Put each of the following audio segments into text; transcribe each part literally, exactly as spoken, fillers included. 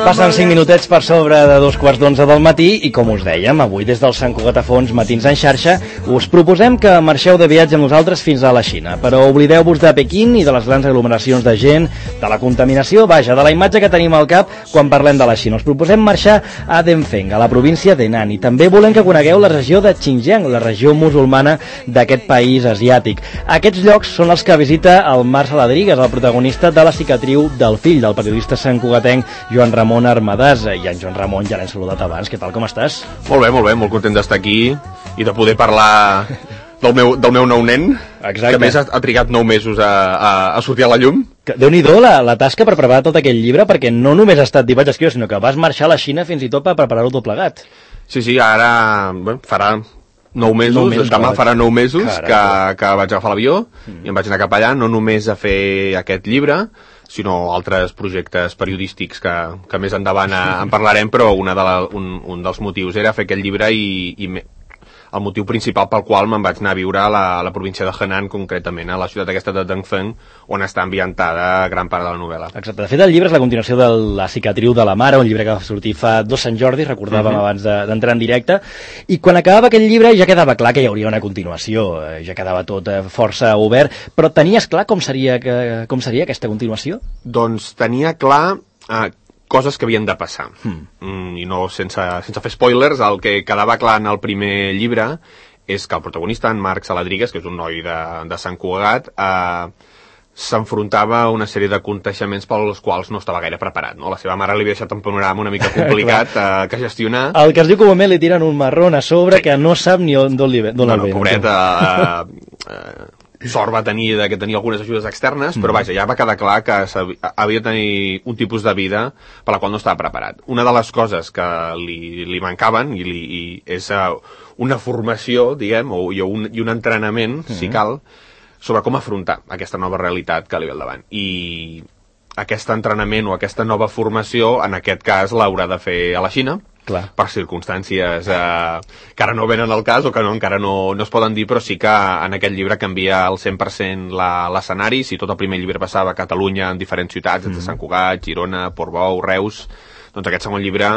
Passen cinc minutets per sobre de dos quarts d'onze del matí i, com us dèiem, avui des del Sant Cugat a Fons Matins en xarxa us proposem que marxeu de viatge amb nosaltres fins a la Xina, però oblideu-vos de Pequín i de les grans aglomeracions de gent, de la contaminació, vaja, de la imatge que tenim al cap quan parlem de la Xina. Us proposem marxar a Denfeng, a la província d'Henan, i també volem que conegueu la regió de Xinjiang, la regió musulmana d'aquest país asiàtic. Aquests llocs són els que visita el Marc Saladrigas, el protagonista de La cicatriu del fill del periodista santcugatenc Joan Ramon Armadàs. I en Joan Ramon ja l'hem saludat abans. Què tal, com estàs? Molt bé, molt bé, molt content d'estar aquí i de poder parlar del meu, del meu nou nen. Exacte. Que a més ha, ha trigat nou mesos a, a, a sortir a la llum. Déu-n'hi-do la, la tasca per preparar tot aquell llibre, perquè no només ha estat dir vaig escriure, sinó que vas marxar a la Xina fins i tot per preparar-ho tot plegat. Sí, sí, ara bueno, farà nou mesos, nou mesos demà farà nou mesos que, que vaig agafar l'avió mm. i em vaig anar cap allà, no només a fer aquest llibre, sinó altres projectes periodístics que, que més endavant en parlarem, però una de la, un, un dels motius era fer aquest llibre i, i me, el motiu principal pel qual me'n vaig anar a viure a la, a la província de Henan, concretament a la ciutat aquesta de Denfeng, on està ambientada gran part de la novel·la. Exacte. De fet, el llibre és la continuació de La cicatriu de la mare, un llibre que va sortir fa dos Sant Jordi, recordàvem uh-huh. abans d'entrar en directe, i quan acabava aquell llibre ja quedava clar que hi hauria una continuació, ja quedava tot força obert, però tenies clar com seria, que, com seria aquesta continuació? Doncs tenia clar eh, coses que havien de passar. Hmm. Mm, I no sense, sense fer spoilers, el que quedava clar en el primer llibre és que el protagonista, en Marc Saladrigas, que és un noi de, de Sant Cugat, eh, s'enfrontava a una sèrie de aconteixements pels quals no estava gaire preparat. No? La seva mare li havia deixat un panorama una mica complicat eh, que gestionar. El que es diu comúment li tiren un marrón a sobre sí. que no sap ni on el ve. No, no, pobret, eh, eh, sort va tenir de que tenia algunes ajudes externes, mm. però vaja, ja va quedar clar que havia de tenir un tipus de vida per la qual no estava preparat. Una de les coses que li, li mancaven i, li, i és uh, una formació, diguem, o, i, un, i un entrenament, mm. si cal, sobre com afrontar aquesta nova realitat que li ve al davant. I aquest entrenament o aquesta nova formació, en aquest cas, l'haurà de fer a la Xina, clar. Per circumstàncies eh, que ara no venen al cas o que no, encara no, no es poden dir, però sí que en aquest llibre canvia al cent per cent l'escenari. Si tot el primer llibre passava a Catalunya en diferents ciutats, mm. de Sant Cugat, Girona, Portbou, Reus, doncs aquest segon llibre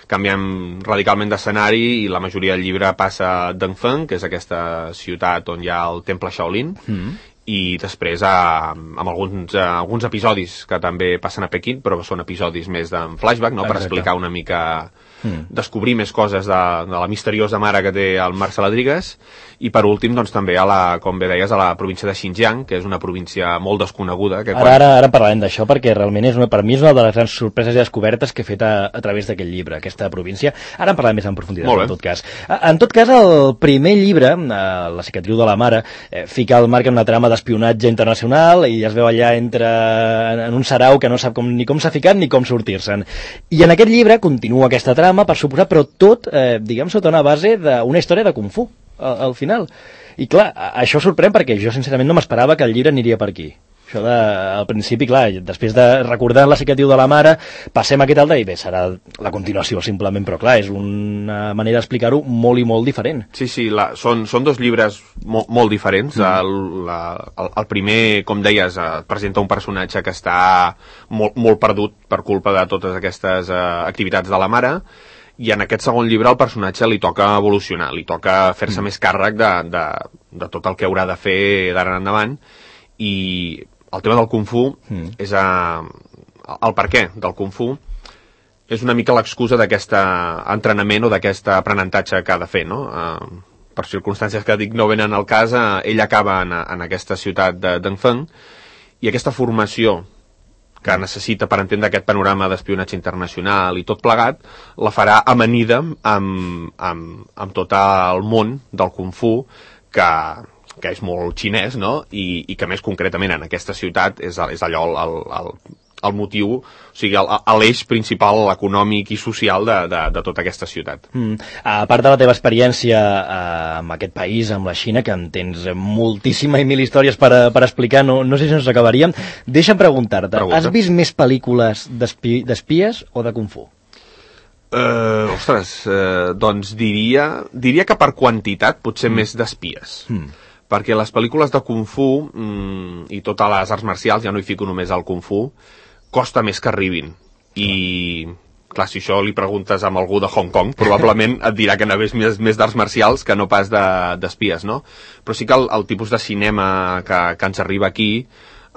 canviem radicalment d'escenari i la majoria del llibre passa a Denfeng, que és aquesta ciutat on hi ha el temple Shaolin, mm. i després eh, amb alguns, eh, alguns episodis que també passen a Pequín, però són episodis més de flashback, no? Per explicar una mica, mm. descobrir més coses de, de la misteriosa mare que té el Marc Saladrigas, i per últim, doncs també a la, com bé deies, a la província de Xinjiang, que és una província molt desconeguda. Que ara, quan... ara, ara parlarem d'això, perquè realment és una, per mi és una de les grans sorpreses i descobertes que he fet a, a través d'aquest llibre, aquesta província. Ara en parlarem més en profunditat, en tot cas. En tot cas, el primer llibre, La cicatriu de la mare, eh, fica el Marc en una trama d'espionatge internacional i es veu allà entre en un sarau que no sap com, ni com s'ha ficat ni com sortir-se'n. I en aquest llibre continua aquesta trama, per suposar, però tot, eh, diguem, sota una base d'una història de Kung Fu. Al, al final. I clar, això sorprèn perquè jo sincerament no m'esperava que el llibre aniria per aquí. Això de, al principi, clar, després de recordar La cicatriu de la mare, passem a aquest altre i bé, serà la continuació simplement, però clar, és una manera d'explicar-ho molt i molt diferent. Sí, sí, la, són, són dos llibres molt, molt diferents. Mm. El, la, el, el primer, com deies, eh, presenta un personatge que està molt, molt perdut per culpa de totes aquestes eh, activitats de la mare, i en aquest segon llibre al personatge li toca evolucionar, li toca fer-se mm. més càrrec de, de, de tot el que haurà de fer d'ara en endavant, i el tema del Kung Fu mm. és a, el per què del Kung Fu és una mica l'excusa d'aquest entrenament o d'aquest aprenentatge que ha de fer, no? Uh, per circumstàncies que dic no venen al cas, uh, ell acaba en, en aquesta ciutat de Denfeng, i aquesta formació que necessita per entendre aquest panorama d'espionatge internacional i tot plegat, la farà amanida amb, amb, amb tot el món del Kung Fu, que, que és molt xinès, no? I, i que més concretament en aquesta ciutat és, és allò el, el, el, el motiu, o sigui, l'eix principal econòmic i social de, de, de tota aquesta ciutat. Mm. A part de la teva experiència eh, amb aquest país, amb la Xina, que en tens moltíssima i mil històries per, per explicar, no, no sé si ens acabaríem, deixa'm preguntar-te, Pregunta. Has vist més pel·lícules d'espies o de Kung Fu? Uh, ostres, uh, doncs diria, diria que per quantitat potser mm. més d'espies. Mm. Perquè les pel·lícules de Kung Fu mm, i totes les arts marcials, ja no hi fico només al Kung Fu, costa més que arribin. i clar, si això li preguntes amb algú de Hong Kong, probablement et dirà que n'hagués més, més d'arts marcials que no pas d'espies, no? Però sí que el, el tipus de cinema que, que ens arriba aquí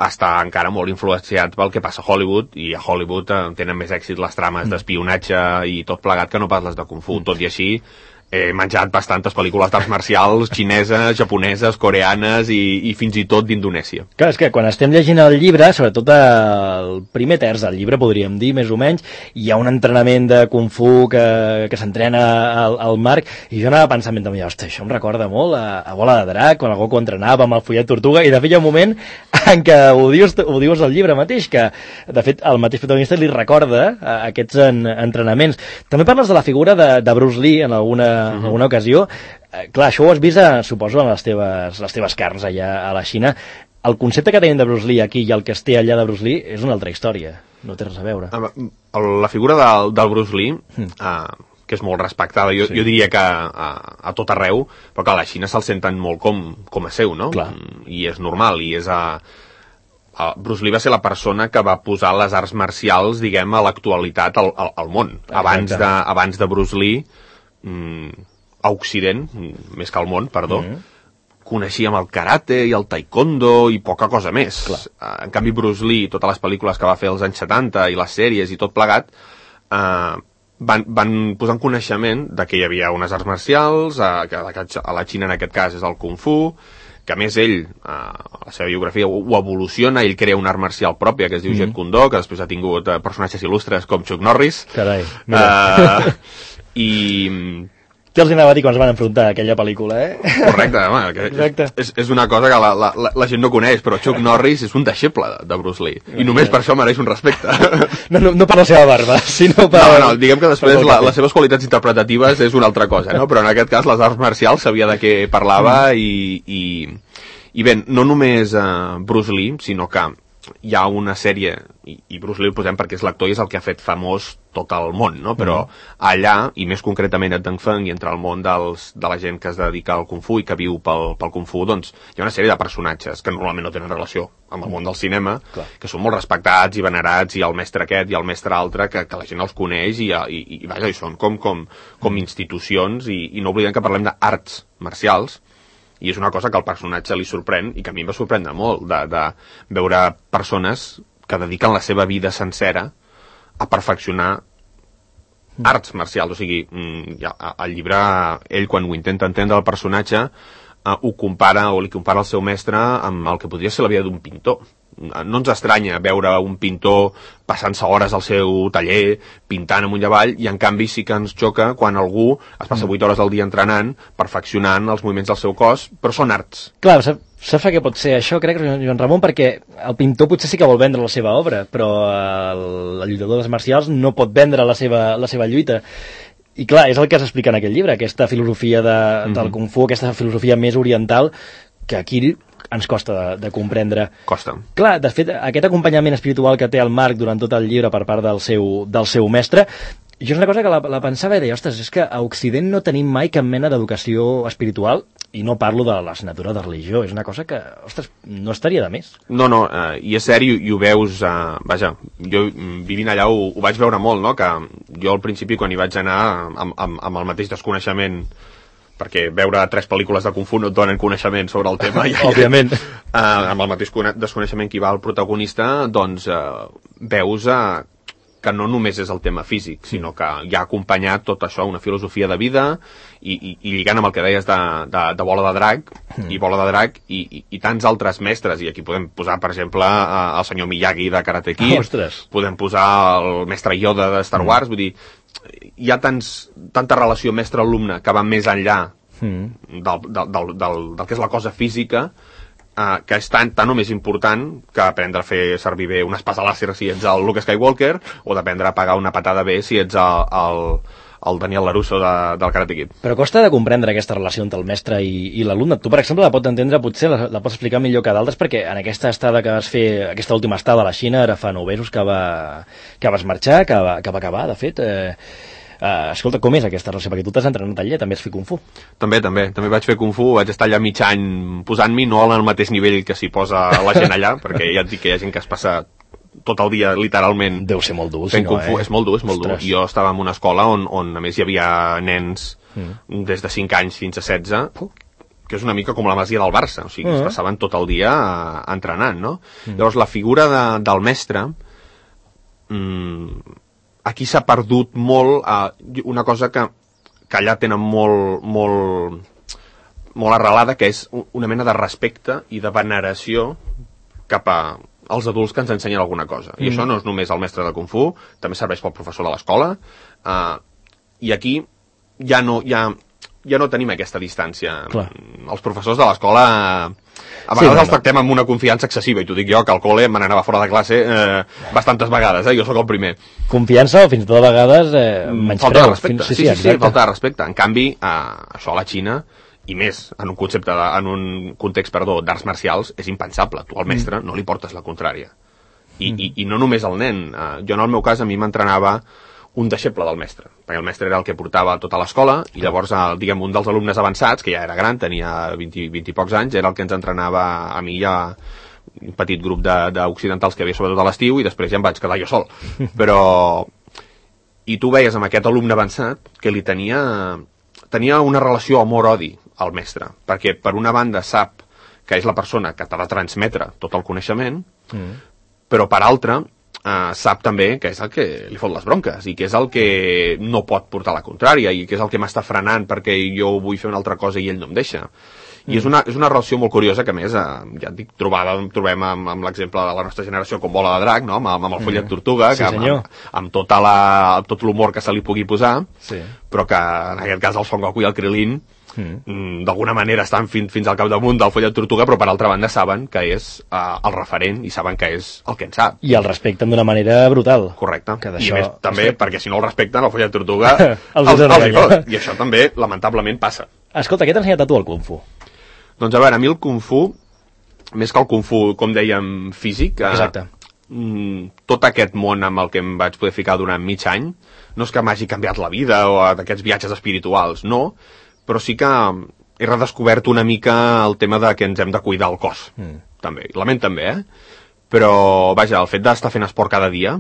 està encara molt influenciat pel que passa a Hollywood, i a Hollywood eh, tenen més èxit les trames d'espionatge i tot plegat que no pas les de Kung Fu. Tot i així, he menjat bastantes pel·lícules d'arts marcials xineses, japoneses, coreanes i, i fins i tot d'Indonèsia. Clar, és que quan estem llegint el llibre, sobretot el primer terç del llibre, podríem dir, més o menys, hi ha un entrenament de Kung Fu que, que s'entrena al, al Marc, i jo anava pensant, ostres, això em recorda molt a, a Bola de Drac, quan algú que entrenava amb el Follet Tortuga, i de fet hi ha un moment en què ho dius, ho dius al llibre mateix, que de fet el mateix protagonista li recorda a, a aquests en, entrenaments. També parles de la figura de, de Bruce Lee en alguna en alguna ocasió. Eh, clar, això ho has vist, a, suposo, en les teves, les teves carns allà a la Xina. El concepte que tenim de Bruce Lee aquí i el que es té allà de Bruce Lee és una altra història. No té res a veure. La figura del, del Bruce Lee, mm. eh, que és molt respectada, jo, sí. jo diria que a, a tot arreu, però que a la Xina se'l senten molt com, com a seu, no? Clar. I és normal, i és a... Bruce Lee va ser la persona que va posar les arts marcials, diguem, a l'actualitat al, al, al món. Abans de, abans de Bruce Lee, a Occident, més que al món, perdó, mm. coneixíem el karate i el taekwondo i poca cosa més. Clar. En canvi, Bruce Lee, totes les pel·lícules que va fer als anys setanta i les sèries i tot plegat, eh, van, van posar en coneixement de que hi havia unes arts marcials, eh, que a la Xina en aquest cas és el Kung Fu, que a més ell, eh, a la seva biografia, ho, ho evoluciona, ell crea una art marcial pròpia que es diu mm. Jeet Kune Do, que després ha tingut eh, personatges il·lustres com Chuck Norris. Carai, mira. Eh, i... Què els anava a dir quan es van enfrontar a aquella pel·lícula, eh? Correcte, home, que és, és, és una cosa que la, la, la gent no coneix, però Chuck Norris és un deixeble de Bruce Lee, i només per això mereix un respecte. No, no, no per la seva barba, sinó per... No, no, diguem que després la, les seves qualitats interpretatives és una altra cosa, no? Però en aquest cas les arts marcials sabia de què parlava i, i, i bé, no només uh, Bruce Lee, sinó que hi ha una sèrie, i, i Bruce Lee el posem perquè és l'actor i és el que ha fet famós tot el món, no? Però mm. allà, i més concretament a Deng Feng i entre el món dels, de la gent que es dedica al Kung Fu i que viu pel, pel Kung Fu, doncs hi ha una sèrie de personatges que normalment no tenen relació amb el món del cinema, Clar. que són molt respectats i venerats, i el mestre aquest i el mestre altre, que, que la gent els coneix i, i, i, i vaja, i són com, com, com institucions, i, i no oblidem que parlem d'arts marcials, i és una cosa que al personatge li sorprèn i que a mi em va sorprendre molt, de, de veure persones que dediquen la seva vida sencera a perfeccionar mm. arts marcials. O sigui, al llibre, ell quan ho intenta entendre el personatge, eh, ho compara, o li compara el seu mestre amb el que podria ser la vida d'un pintor. No ens estranya veure un pintor passant-se hores al seu taller, pintant amunt i avall, i en canvi sí que ens xoca quan algú es passa vuit hores al dia entrenant, perfeccionant els moviments del seu cos, però són arts. Clar, saps què pot ser això, crec, Joan Ramon? Perquè el pintor potser sí que vol vendre la seva obra, però el, el lluitador d'arts marcials no pot vendre la seva, la seva lluita. I clar, és el que s'explica en aquest llibre, aquesta filosofia de, mm-hmm. del Kung Fu, aquesta filosofia més oriental, que aquí ens costa de, de comprendre. Costa. Clar, de fet, aquest acompanyament espiritual que té el Marc durant tot el llibre per part del seu, del seu mestre, jo és una cosa que la, la pensava i deia, ostres, és que a Occident no tenim mai cap mena d'educació espiritual, i no parlo de l'assignatura de religió, és una cosa que, ostres, no estaria de més. No, no, eh, i és seri, i ho veus, eh, vaja, jo vivint allà ho, ho vaig veure molt, no?, que jo al principi quan hi vaig anar amb, amb, amb el mateix desconeixement, perquè veure tres pel·lícules de Kung Fu no et donen coneixement sobre el tema. Òbviament. Eh, amb el mateix desconeixement que hi va el protagonista, doncs eh, veus eh, que no només és el tema físic, sinó que hi ha acompanyat tot això, una filosofia de vida, i, i, i lligant amb el que deies de, de, de Bola de Drac, mm. i Bola de Drac, i, i, i tants altres mestres, i aquí podem posar, per exemple, el senyor Miyagi de Karate Kid, Ostres. Podem posar el mestre Yoda de Star Wars, mm. vull dir, hi ha tants, tanta relació mestre-alumne que va més enllà mm. del, del, del, del, del que és la cosa física, eh, que és tan, tan o més important que aprendre a fer servir bé un espasa làser si ets el Luke Skywalker, o d'aprendre a pagar una patada bé si ets el, el, el Daniel LaRusso de, del Karate Kid. Però costa de comprendre aquesta relació entre el mestre i, i l'alumne. Tu, per exemple, la pots entendre, potser la, la pots explicar millor que d'altres, perquè en aquesta estada que vas fer, aquesta última estada a la Xina, ara fa nou mesos que, va, que vas marxar, que va, que va acabar, de fet... Eh, Uh, escolta, com és aquesta relació? Perquè tu t'has entrenat allà, també has fet Kung Fu. També, també. També vaig fer Kung Fu, vaig estar allà mig any posant-m'hi, no al mateix nivell que s'hi posa la gent allà, perquè ja et dic que hi ha gent que es passa tot el dia, literalment... Deu ser molt dur, si no, eh? És molt dur, és molt Ostres. dur. Jo estava en una escola on, on a més hi havia nens mm. des de cinc anys fins a setze, que és una mica com la masia del Barça, o sigui, mm. es passaven tot el dia entrenant, no? Mm. Llavors, la figura de, del mestre, mmm, aquí s'ha perdut molt eh, una cosa que, que allà tenen molt, molt, molt arrelada, que és una mena de respecte i de veneració cap a els adults que ens ensenyen alguna cosa. Mm. I això no és només el mestre de Kung Fu, també serveix pel professor de l'escola, uh, i aquí ja no, ja, ja no tenim aquesta distància. Clar. Els professors de l'escola a vegades sí, els tractem amb una confiança excessiva, i t'ho dic jo, que al col·le me n'anava fora de classe eh, bastantes vegades, eh? Jo sóc el primer. Confiança o fins i tot a vegades eh, menyspreu. Falta de respecte, fins... sí, sí, sí, sí, falta de respecte. En canvi, eh, això a la Xina, i més en un concepte de, en un context, perdó, d'arts marcials, és impensable. Tu al mestre mm. no li portes la contrària. I, mm. i, i no només el nen. Uh, jo en el meu cas a mi m'entrenava un deixeble del mestre, perquè el mestre era el que portava tota l'escola, i llavors, el, diguem, un dels alumnes avançats, que ja era gran, tenia vint, vint i pocs anys, era el que ens entrenava a mi i a un petit grup d'occidentals que havia sobretot a l'estiu, i després ja em vaig quedar jo sol. Però... I tu veies amb aquest alumne avançat que li tenia... tenia una relació amor-odi al mestre, perquè per una banda sap que és la persona que t'ha de transmetre tot el coneixement, mm. però per altra eh, sap també que és el que li fot les bronques, i que és el que no pot portar la contrària, i que és el que m'està frenant perquè jo vull fer una altra cosa i ell no em deixa. I mm. és, una, és una relació molt curiosa que, a més, eh, ja et dic, trobada, trobem amb, amb l'exemple de la nostra generació com Bola de Drac, no? amb, amb el Follet Tortuga, sí, que, amb, amb, amb, tota la, amb tot l'humor que se li pugui posar, sí. però que en aquest cas el Son Goku i el Krilin mm. d'alguna manera estan fin, fins al capdamunt del Follet Tortuga, però per altra banda saben que és uh, el referent, i saben que és el que en sap. I el respecten d'una manera brutal. Correcte. I a més també, perquè si no el respecten, el Follet Tortuga els, els, els hi fot. I això també, lamentablement, passa. Escolta, què t'ha ensenyat a tu el Kung Fu? Doncs a veure, a mi el Kung Fu, més que el Kung Fu, com dèiem, físic, Exacte. Eh, tot aquest món amb el que em vaig poder ficar durant mig any, no és que m'hagi canviat la vida o d'aquests viatges espirituals, no, però sí que he redescobert una mica el tema de que ens hem de cuidar el cos, mm. també, i la ment també, eh? Però, vaja, el fet d'estar fent esport cada dia,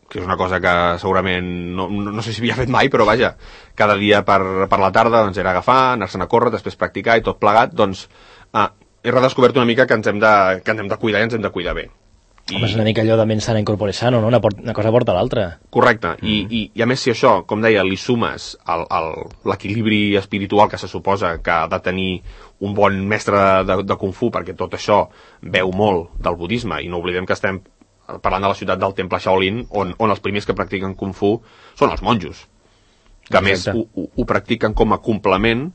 que és una cosa que segurament no, no, no sé si havia fet mai, però vaja, cada dia per, per la tarda doncs, era agafar, anar-se'n a córrer, després practicar i tot plegat, doncs eh, he redescobert una mica que ens hem de, que ens hem de cuidar i ens hem de cuidar bé. I... Home, és una mica allò de ment sana incorpore sano, no? Una, por una cosa porta l'altra. Correcte, mm. I, i, i a més si això, com deia, li sumes l'equilibri espiritual que se suposa que ha de tenir un bon mestre de, de Kung Fu, perquè tot això veu molt del budisme, i no oblidem que estem parlant de la ciutat del temple Shaolin, on, on els primers que practiquen Kung Fu són els monjos, que a més ho, ho, ho practiquen com a complement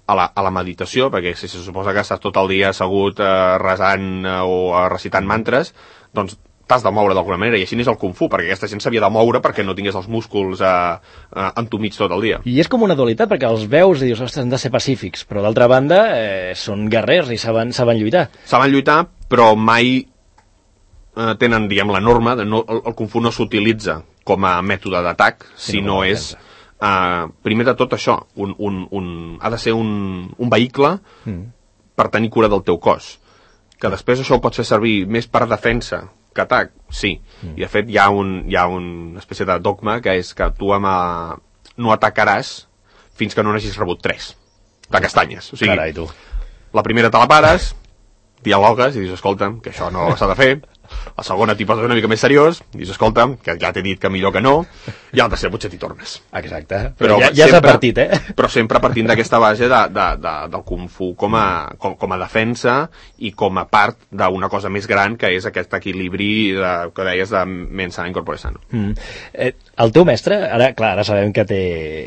a la, a la meditació, perquè si se suposa que estàs tot el dia assegut eh, resant eh, o eh, recitant mantres, doncs t'has de moure d'alguna manera, i així és el Kung Fu, perquè aquesta gent s'havia de moure perquè no tingués els músculs eh, eh, entumits tot el dia. I és com una dualitat, perquè els veus i dius, ostres, han de ser pacífics, però d'altra banda eh, són guerrers i saben, saben lluitar. Saben lluitar, però mai eh, tenen, diguem, la norma, de no, el, el Kung Fu no s'utilitza com a mètode d'atac, sí, sinó no, és, eh, primer de tot això, un, un, un, ha de ser un, un vehicle mm. per tenir cura del teu cos, que després això ho pots fer servir més per defensa que atac, sí, mm. i de fet hi ha, un, hi ha una espècie de dogma que és que tu ama, no atacaràs fins que no n'hagis rebut tres de castanyes, o sigui, carai, tu. La primera te la pares, dialogues i dius, escolta'm, que això no s'ha de fer, la segona t'hi poses una mica més seriós, dius, escolta'm, que ja t'he dit que millor que no, i a la tercera potser t'hi tornes. Exacte, però, però ja, ja s'ha partit, eh? Però sempre partint d'aquesta base de, de, de, del Kung Fu com a, com, com a defensa i com a part d'una cosa més gran, que és aquest equilibri de, que deies de ment sana incorpore sano. Mm. Eh, el teu mestre, ara, clar, ara sabem que, té,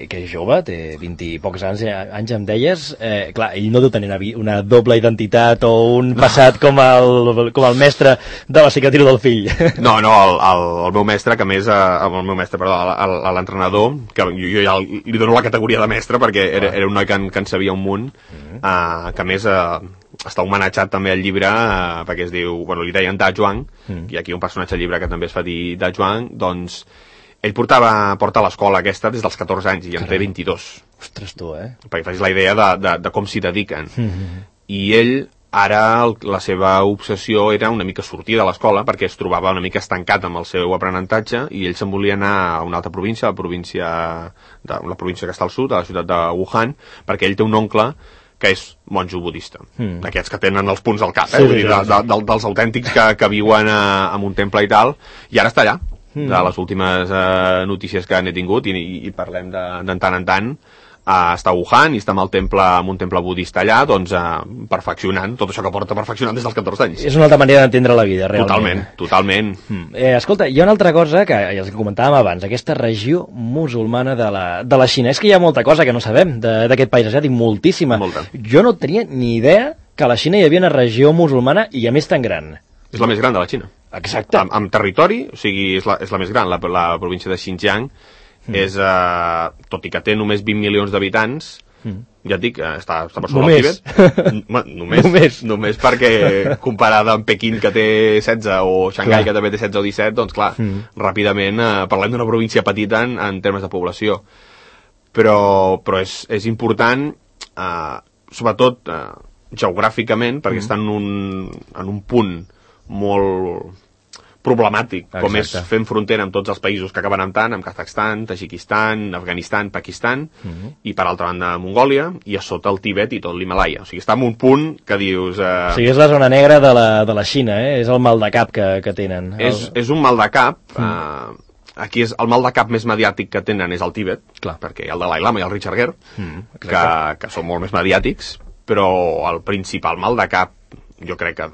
que és jove, té vint i pocs anys, anys em deies, eh, clar, ell no deu tenir una, una doble identitat o un passat no. com, el, com el mestre de la cicatriu del fill. No, no, el, el, el meu mestre, que més, el meu mestre, perdó, l'entrenador, que jo, jo ja li dono la categoria de mestre perquè era, era un noi que en, que en sabia un munt, uh, que a més uh, està homenatjat també al llibre, uh, perquè es diu, bueno, li deien Da Zhuang, uh. i aquí un personatge al llibre que també es fa dir Da Zhuang, doncs ell portava, porta a l'escola aquesta des dels catorze anys i en té vint-i-dos. Ostres, tu, eh? Perquè facis la idea de, de, de com s'hi dediquen. Uh -huh. I ell ara el, la seva obsessió era una mica sortir de l'escola perquè es trobava una mica estancat amb el seu aprenentatge i ell se'n volia anar a una altra província, la província, de, la província que està al sud, a la ciutat de Wuhan, perquè ell té un oncle que és monjo budista, mm. d'aquests que tenen els punts al cap, eh? Sí, Vull dir, de, de, de, dels autèntics que, que viuen a, en un temple i tal, i ara està allà, mm. de les últimes eh, notícies que n'he tingut, i, i, i parlem de, de tant en tant, Uh, està a Wuhan i està amb, el temple, amb un temple budista allà, doncs uh, perfeccionant tot això que porta perfeccionant des dels catorze anys. És una altra manera d'entendre la vida, realment. Totalment, totalment. Mm. Eh, escolta, hi ha una altra cosa que ja els comentàvem abans, aquesta regió musulmana de la, de la Xina. És que hi ha molta cosa que no sabem d'aquest país asiàtic, moltíssima. Molta. Jo no tenia ni idea que a la Xina hi havia una regió musulmana i a més tan gran. És la més gran de la Xina. Exacte. Amb, amb territori, o sigui, és la, és la més gran, la, la província de Xinjiang. Mm. És, uh, tot i que té només vint milions d'habitants, mm. ja et dic, està, està per sobre del Tibet. només, només. Només perquè comparada amb Pequín, que té setze, o Xangai, clar. que també té setze o disset, doncs clar, mm. ràpidament uh, parlem d'una província petita en, en termes de població. Però, però és, és important, uh, sobretot uh, geogràficament, perquè mm. està en un, en un punt molt problemàtic, Exacte. com és fent frontera amb tots els països que acaben amb tant, amb Kazakhstan, Tajikistan, Afganistan, Pakistan, uh-huh. i per altra banda Mongòlia, i a sota el Tibet i tot l'Himalaya. O sigui, està en un punt que dius... Eh... O sigui, és la zona negra de la, de la Xina, eh? És el mal de cap que, que tenen. És, el... és un mal de cap... Uh-huh. Eh, aquí és el mal de cap més mediàtic que tenen és el Tibet, Clar. perquè hi ha el Dalai Lama i el Richard Gere, uh-huh. que, que són molt més mediàtics, però el principal mal de cap, jo crec que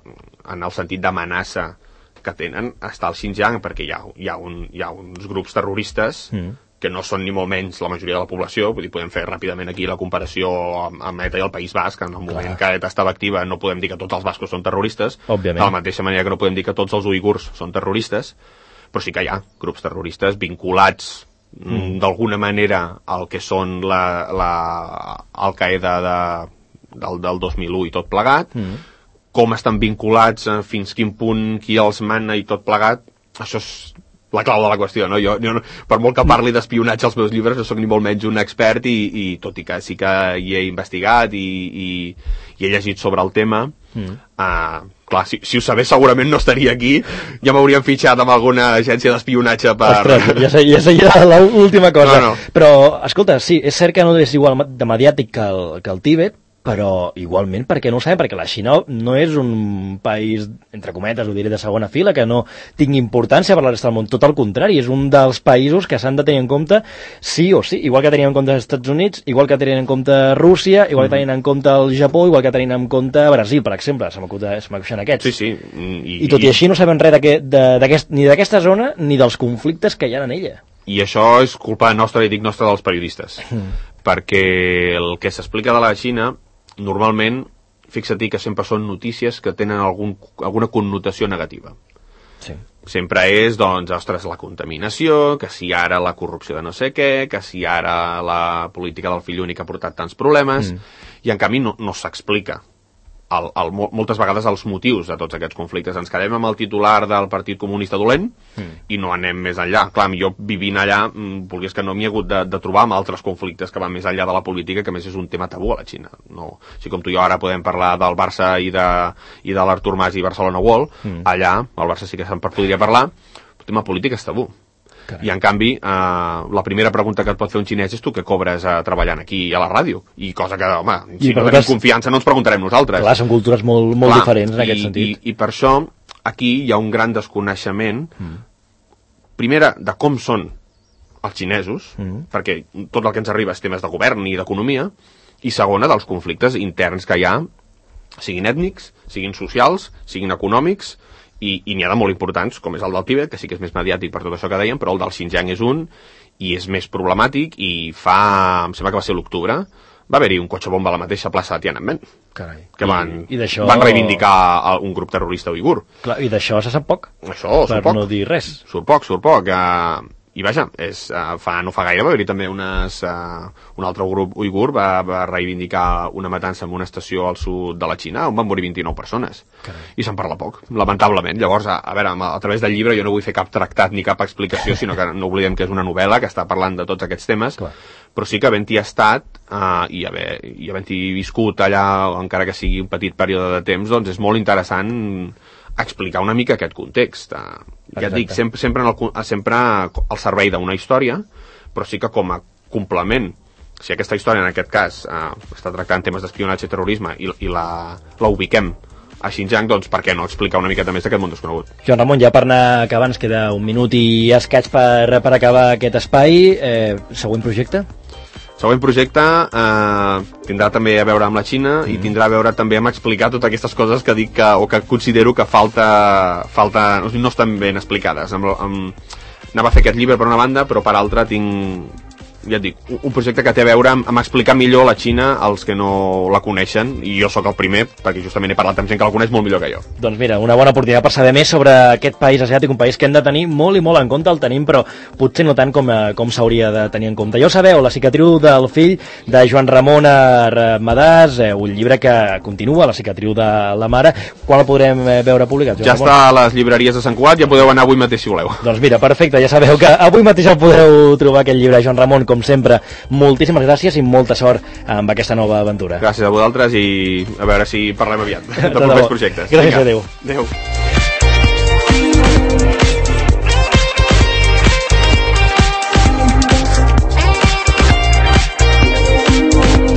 en el sentit d'amenaça que tenen està al Xinjiang, perquè hi ha, hi ha, un, hi ha uns grups terroristes mm. que no són ni molt menys la majoria de la població. Vull dir, podem fer ràpidament aquí la comparació amb, amb ETA i el País Basc. En el moment Clar. que ETA estava activa no podem dir que tots els bascos són terroristes, Òbviament. de la mateixa manera que no podem dir que tots els uigurs són terroristes, però sí que hi ha grups terroristes vinculats mm. d'alguna manera al que són la, la Al-Qaeda de, del, del dos mil u i tot plegat, mm. com estan vinculats, eh, fins quin punt, qui els mana i tot plegat, això és la clau de la qüestió, no? Jo, jo per molt que parli d'espionatge als meus llibres, no soc ni molt menys un expert i, i tot i que sí que hi he investigat i, i, i he llegit sobre el tema, mm. uh, clar, si, si ho sabés segurament no estaria aquí, ja m'haurien fitxat amb alguna agència d'espionatge per... Ostres, ja, sé, ja seria l'última cosa. No, no. Però, escolta, sí, és cert que no és igual de mediàtic que el, que el Tibet, però igualment, perquè no ho sabem, perquè la Xina no és un país, entre cometes, ho diré, de segona fila, que no tingui importància per la resta del món. Tot el contrari, és un dels països que s'han de tenir en compte sí o sí, igual que tenien en compte els Estats Units, igual que tenien en compte Rússia, igual que tenien en compte el Japó, igual que tenien en compte Brasil, per exemple, se m'acuixen aquests. Sí, sí. I, I tot i, i així no sabem res d'aquest, ni d'aquesta zona ni dels conflictes que hi ha en ella. I això és culpa nostra, i dic nostra, dels periodistes, mm. perquè el que s'explica de la Xina normalment, fixa-t'hi que sempre són notícies que tenen algun, alguna connotació negativa. Sí. Sempre és, doncs, ostres, la contaminació, que si ara la corrupció de no sé què, que si ara la política del fill únic ha portat tants problemes, mm. i en canvi no, no s'explica el, el, moltes vegades els motius de tots aquests conflictes. Ens quedem amb el titular del Partit Comunista dolent mm. i no anem més enllà. Clar, jo vivint allà, volgués que no m'hi he hagut de, de trobar amb altres conflictes que van més enllà de la política, que més és un tema tabú a la Xina. No, així com tu i jo ara podem parlar del Barça i de, i de l'Artur Mas i Barcelona World, mm. allà, al Barça sí que se'n podria parlar, el tema polític és tabú. Carai. I en canvi, eh, la primera pregunta que et pot fer un xinès és tu que cobres eh, treballant aquí a la ràdio, i cosa que, home, si no tenim confiança no ens preguntarem nosaltres. Clar, són cultures molt, molt Clar, diferents en i, aquest sentit. I, I per això aquí hi ha un gran desconeixement, mm. primera, de com són els xinesos, mm. perquè tot el que ens arriba és temes de govern i d'economia, i segona, dels conflictes interns que hi ha, siguin ètnics, siguin socials, siguin econòmics, i, i n'hi ha de molt importants, com és el del Tibet, que sí que és més mediàtic per tot això que dèiem, però el del Xinjiang és un, i és més problemàtic, i fa, em sembla que va ser l'octubre, va haver-hi un cotxe bomba a la mateixa plaça de Tiananmen. Carai. Que van, I, i van reivindicar un grup terrorista uigur. Clar, i d'això se sap poc. Això, surt per poc. no dir res. Surt poc, surt poc. Uh, i vaja, és, uh, fa, no fa gaire va haver-hi també unes, uh, un altre grup uigur va, va reivindicar una matança en una estació al sud de la Xina on van morir vint-i-nou persones. Carai. I se'n parla poc, lamentablement. Llavors, a, a veure, a, a través del llibre jo no vull fer cap tractat ni cap explicació, sinó que no oblidem que és una novel·la que està parlant de tots aquests temes. Clar. Però sí que havent-hi estat uh, i, haver, i havent-hi viscut allà, encara que sigui un petit període de temps, doncs és molt interessant explicar una mica aquest context. Uh, ja et dic, sempre, sempre, en el, sempre al servei d'una història, però sí que com a complement, si aquesta història en aquest cas uh, està tractant temes d'espionatge i terrorisme i, i la, la ubiquem a Xinjiang, doncs per què no explicar una miqueta més d'aquest món desconegut. Joan Ramon, ja per anar acabant, ens queda un minut i escaig per, per acabar aquest espai. Eh, següent projecte? Següent projecte eh, tindrà també a veure amb la Xina mm. i tindrà a veure també amb explicar totes aquestes coses que dic que, o que considero que falta, falta no estan ben explicades. Amb, amb, anava a fer aquest llibre per una banda, però per altra tinc, ja et dic, un projecte que té a veure amb, amb explicar millor la Xina als que no la coneixen, i jo sóc el primer, perquè justament he parlat amb gent que la coneix molt millor que jo. Doncs mira, una bona oportunitat per saber més sobre aquest país asiàtic, un país que hem de tenir molt i molt en compte, el tenim, però potser no tant com, com s'hauria de tenir en compte. Ja ho sabeu, La cicatriu del fill, de Joan Ramon Armadàs, eh, un llibre que continua, La cicatriu de la mare. Quan el podrem veure publicat, Joan ja Ramon? Està a les llibreries de Sant Cugat, ja podeu anar avui mateix si voleu. Doncs mira, perfecte, ja sabeu que avui mateix el podeu trobar aquest llibre. Joan Ramon, com sempre, moltíssimes gràcies i molta sort amb aquesta nova aventura. Gràcies a vosaltres i a veure si parlem aviat de propers projectes. Gràcies, adéu. Adéu.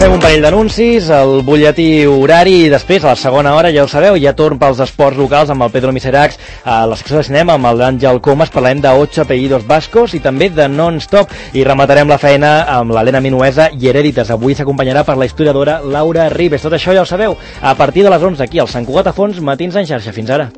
Fem un parell d'anuncis, el butlletí horari i després, a la segona hora, ja ho sabeu, hi ha torn pels esports locals amb el Pedro Miseracs, a la secció de cinema amb l'Àngel Comas, parlarem de ocho apellidos vascos i també de Non-Stop, i rematarem la feina amb l'Helena Minuesa i Herèdites. Avui s'acompanyarà per la historiadora Laura Ribes. Tot això ja ho sabeu, a partir de les onze aquí al Sant Cugat a Fons, Matins en xarxa. Fins ara.